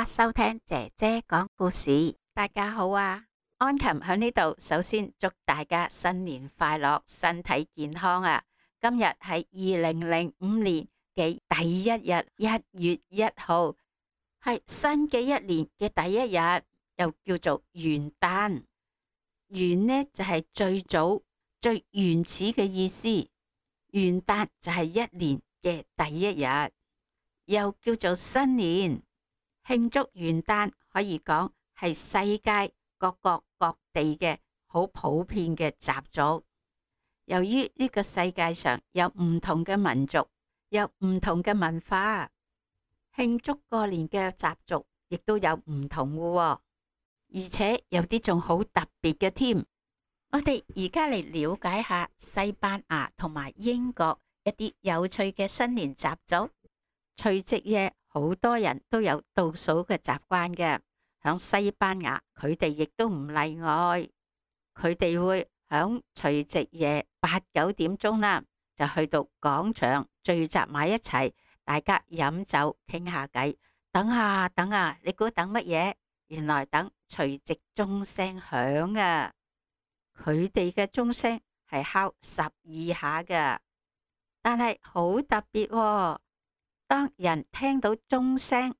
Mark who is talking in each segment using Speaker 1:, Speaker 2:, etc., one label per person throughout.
Speaker 1: 家收聽姐姐講故事。大家好啊，安琴喺呢度，首先祝大家新年快樂，身體健康啊！今日係2005年嘅第一日，1月1號，係新嘅一年嘅第一日，又叫做元旦。元呢就係最早、最原始嘅意思，元旦就係一年嘅第一日，又叫做新年。慶祝元旦可以講係世界各國各地嘅好普遍嘅習俗。由於呢個世界上有唔同嘅民族，有唔同嘅文化，慶祝過年嘅習俗亦都有唔同嘅喎，而且有啲仲好特別嘅添。我哋而家嚟了解下西班牙同埋英國一啲有趣嘅新年習俗。除夕夜好多人都有倒數嘅習慣嘅，響西班牙佢哋亦都唔例外。佢哋會響除夕夜8、9點鐘啦，就去到廣場聚集埋一齊，大家飲酒傾下偈。等下等下，你估等乜嘢？原來等除夕鐘聲響啊！佢哋嘅鐘聲係敲12下㗎，但係好特別喎。當人聽到鐘聲，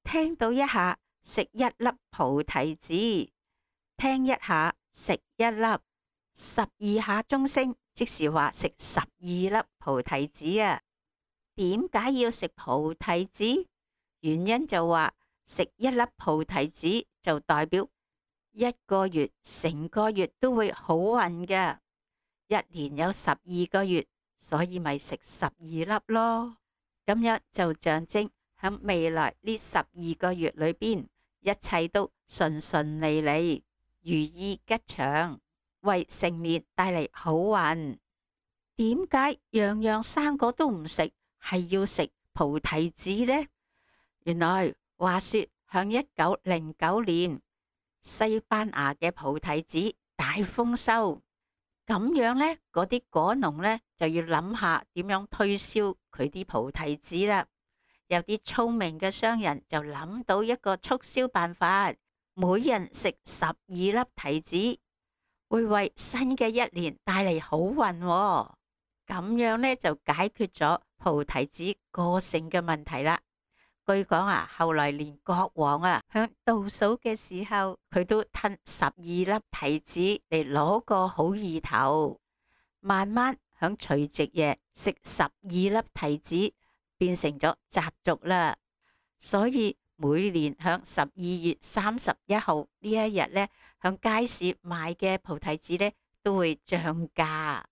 Speaker 1: 聽到一下食一粒菩提子，聽一下食一粒，12下鐘聲，即是話食12粒菩提子啊！點解要食菩提子？原因就話食一粒菩提子就代表1個月成個月都會好運㗎，一年有12個月，所以咪食12粒咯。咁樣就象徵喺未來呢12個月裏邊，一切都順順利利、如意吉祥，為成年帶嚟好運。點解樣樣生果都唔食，係要食菩提子呢？原來話說響1909年，西班牙嘅菩提子大豐收。咁樣呢，嗰啲果農呢就要諗下點樣推銷佢啲菩提子啦。有啲聰明嘅商人就諗到一個促銷辦法，每人食12粒提子，會為新嘅一年帶嚟好運喎。咁樣呢就解決咗菩提子過剩嘅問題啦。據講啊，後來連國王啊響倒數嘅時候，佢都吞12粒提子嚟攞個好意頭。慢慢響除夕夜食12粒提子變成咗習俗啦。所以每年響12月31號呢一日呢，響街市賣嘅菩提子呢都會漲價，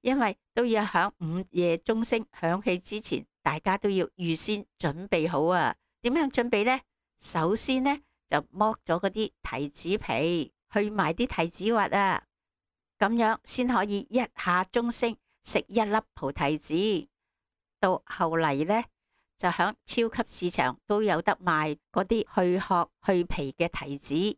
Speaker 1: 因為都要響午夜鐘聲響起之前，大家都要預先準備好啊！點樣準備呢？首先呢，就剝咗嗰啲提子皮，去埋啲提子核啊，咁樣先可以一下鐘聲食一粒菩提子。到後嚟呢，就響超級市場都有得賣嗰啲去殼去皮嘅提子。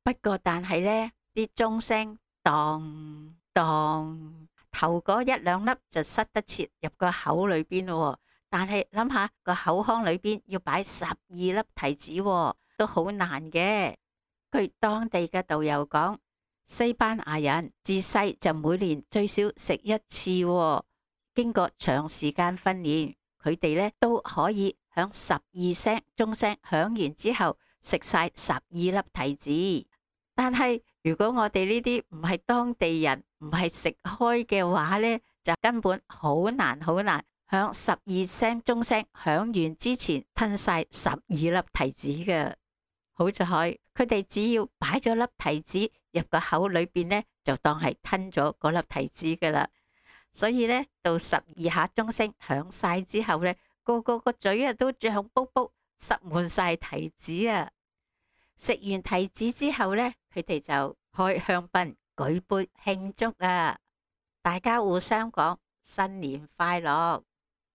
Speaker 1: 不過但係呢啲鐘聲當當，頭嗰1、2粒就塞得切入個口裏邊咯。但係諗下個口腔裏邊要擺12粒提子喎，都好難嘅。據當地嘅導遊講，西班牙人自細就每年最少食1次喎。經過長時間訓練，佢哋呢都可以響12聲鐘聲響完之後食晒12粒提子。但係如果我哋呢啲唔係當地人，唔係食開嘅話呢，就根本好難好難響12聲鐘聲響完之前吞晒12粒提子嘅。好在佢哋只要擺咗粒提子入個口裏邊呢，就當係吞咗嗰粒提子噶啦。所以呢，到12下鐘聲響晒之後呢，個個嘴啊都脹卜卜，塞滿晒提子啊！食完提子之後呢，佢哋就開香檳舉杯慶祝啊！大家互相講新年快樂，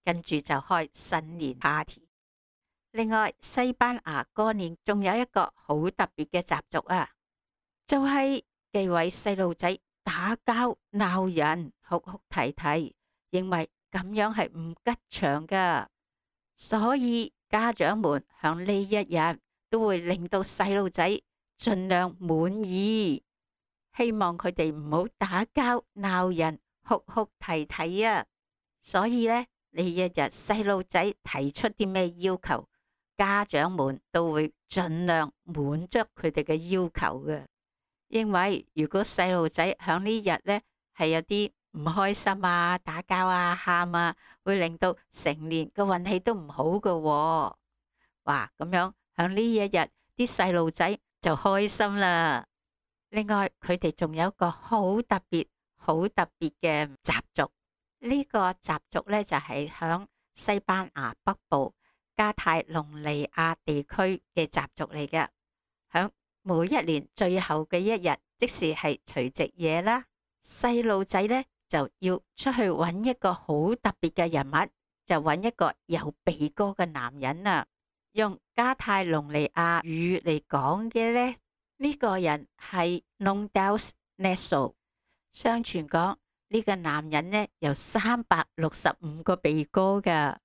Speaker 1: 跟住就開新年 party。另外，西班牙過年仲有一個好特別嘅習俗啊，就係忌諱細路仔打交鬧人，哭哭啼啼，認為咁樣係唔吉祥噶，所以家長們響呢一日都會令到細路仔盡量滿意，希望佢哋唔好打交鬧人、哭哭啼啼啊。所以呢一日細路仔提出啲咩要求，家長們都會盡量滿足佢哋嘅要求嘅。因為如果細路仔響呢日呢係有啲唔開心啊、打交啊、喊啊，會令到成年嘅運氣都唔好㗎喎。哇，咁樣響呢一日啲細路仔就開心啦。另外佢哋仲有一個好特別嘅習俗，呢個習俗呢就係響西班牙北部加泰隆尼亞地區嘅習俗嚟嘅。響每一年最後嘅一日，即是係除夕夜啦，細路仔呢就要出去揾一個好特別嘅人物，就揾一個有鼻哥嘅男人啊。用加泰隆尼亞語嚟講嘅呢，呢個人係 Non dels Naso。相傳講呢個男人呢有365個鼻哥㗎，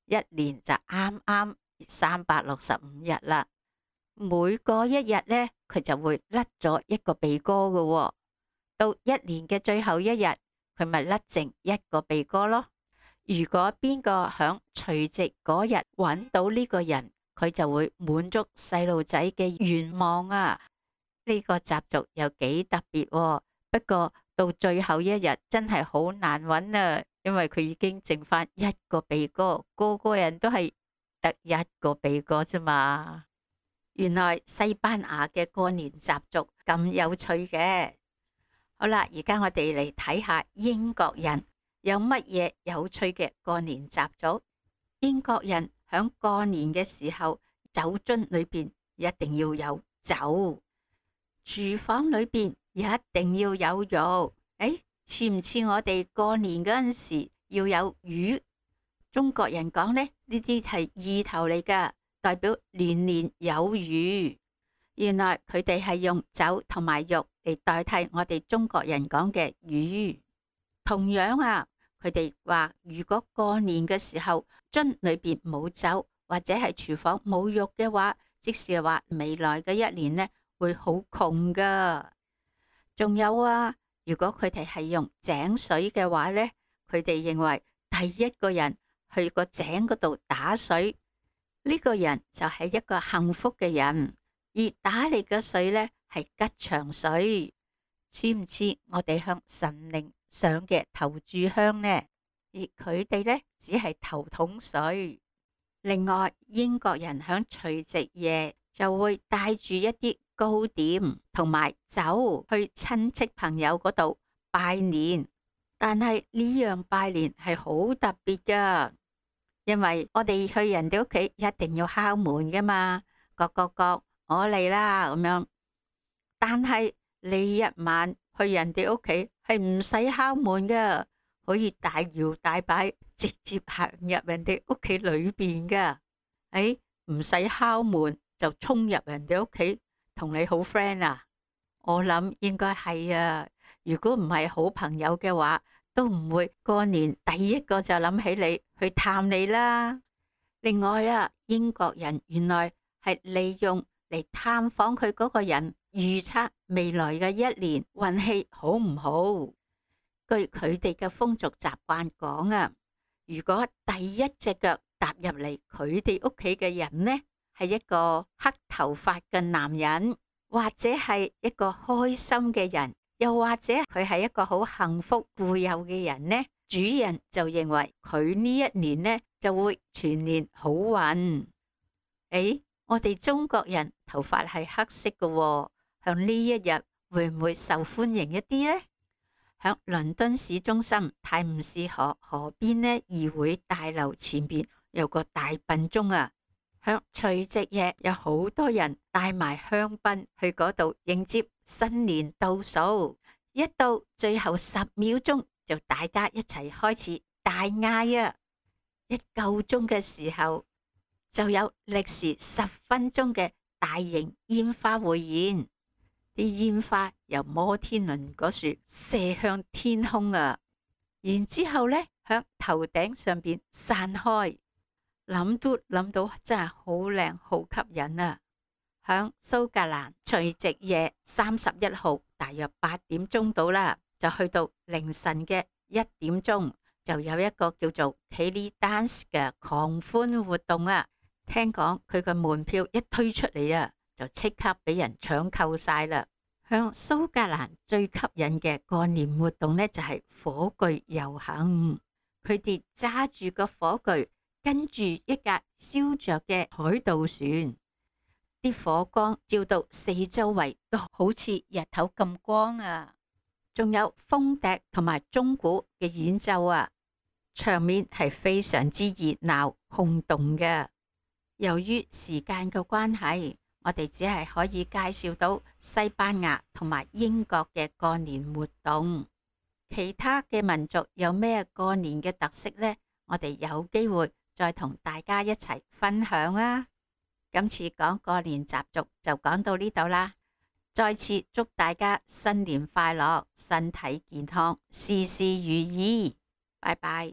Speaker 1: 一年就啱啱365日啦。每過一日呢，佢就會甩咗一個鼻哥㗎喎。到一年嘅最後一日，佢咪甩剩一個鼻哥咯。如果邊個響除夕嗰日揾到呢個人，佢就會滿足細路仔嘅願望啊！呢個習俗有幾特別喎。不過到最後一日真係好難揾啊，因為佢已經剩翻一個鼻哥，個個人都係得一個鼻哥啫嘛。原來西班牙嘅過年習俗咁有趣嘅。好啦，而家我哋嚟睇下英國人有乜嘢有趣嘅過年習俗。英國人響過年嘅時候，酒樽裏邊一定要有酒，廚房裏邊一定要有肉。似唔似我哋過年嗰陣時要有魚？中國人講呢啲係意頭嚟噶，代表年年有餘。原來佢哋係用酒同埋肉嚟代替我哋中國人講嘅魚。同樣啊，佢哋話如果過年嘅時候樽裏邊冇酒，或者係廚房冇肉嘅話，即是話未來嘅一年呢會好窮噶。仲有啊，如果佢哋係用井水嘅話呢，佢哋認為第一個人去個井嗰度打水，呢個人就係一個幸福嘅人。而打嚟嘅水呢係吉祥水，似唔似我哋向神靈上嘅頭炷香呢？而佢哋呢只係頭桶水。另外，英國人響除夕夜就會帶住一啲糕點同埋酒去親戚朋友嗰度拜年。但係呢樣拜年係好特別噶，因為我哋去人哋屋企一定要敲門噶嘛，各我嚟啦咁樣。但係呢一晚去人哋屋企係唔使敲門噶，可以大搖大擺直接行入人哋屋企裏邊噶。唔使敲門就衝入人哋屋企同你好 friend 啊？我諗應該係啊。如果唔係好朋友嘅話，都唔會過年第一個就諗起你去探你啦。另外啦，英國人原來係利用嚟探訪佢嗰個人，預測未來嘅一年運氣好唔好。據佢哋嘅風俗習慣講啊，如果第一隻腳踏入嚟佢哋屋企嘅人呢，係一個黑頭髮嘅男人，或者係一個開心嘅人，又或者佢係一個好幸福富有嘅人呢，主人就認為佢呢一年呢就會全年好運。我哋中國人頭髮係黑色嘅喎，向呢一日會唔會受歡迎一啲呢？響倫敦市中心泰晤士河河邊呢，議會大樓前邊有個大笨鐘啊！響除夕夜有好多人帶埋香檳去嗰度迎接新年倒數，一到最後10秒鐘就大家一齊開始大嗌啊！一夠鐘嘅時候就有歷時10分鐘嘅大型煙花匯演，啲煙花由摩天輪嗰處射向天空啊！然之後呢，向頭頂上邊散開。諗都諗到真係好靚好吸引啊！響蘇格蘭除夕夜31號大約8點鐘到啦，就去到凌晨嘅1點鐘，就有一個叫做 Kelly Dance 嘅狂歡活動啊！聽講佢個門票一推出嚟啊，就即刻俾人搶購晒啦！向蘇格蘭最吸引嘅過年活動呢，就係火炬遊行。佢哋揸住個火炬，跟住一架燒着嘅海盜船，啲火光照到四周圍都好似日頭咁光啊！仲有風笛同埋鐘鼓嘅演奏啊，場面係非常之熱鬧轟動嘅。由於時間嘅關係，我哋只係可以介紹到西班牙同埋英國嘅過年活動，其他嘅民族有咩過年嘅特色呢？我哋有機會再同大家一齊分享啊！今次講過年習俗就講到呢度啦，再次祝大家新年快樂，身體健康，事事如意，拜拜。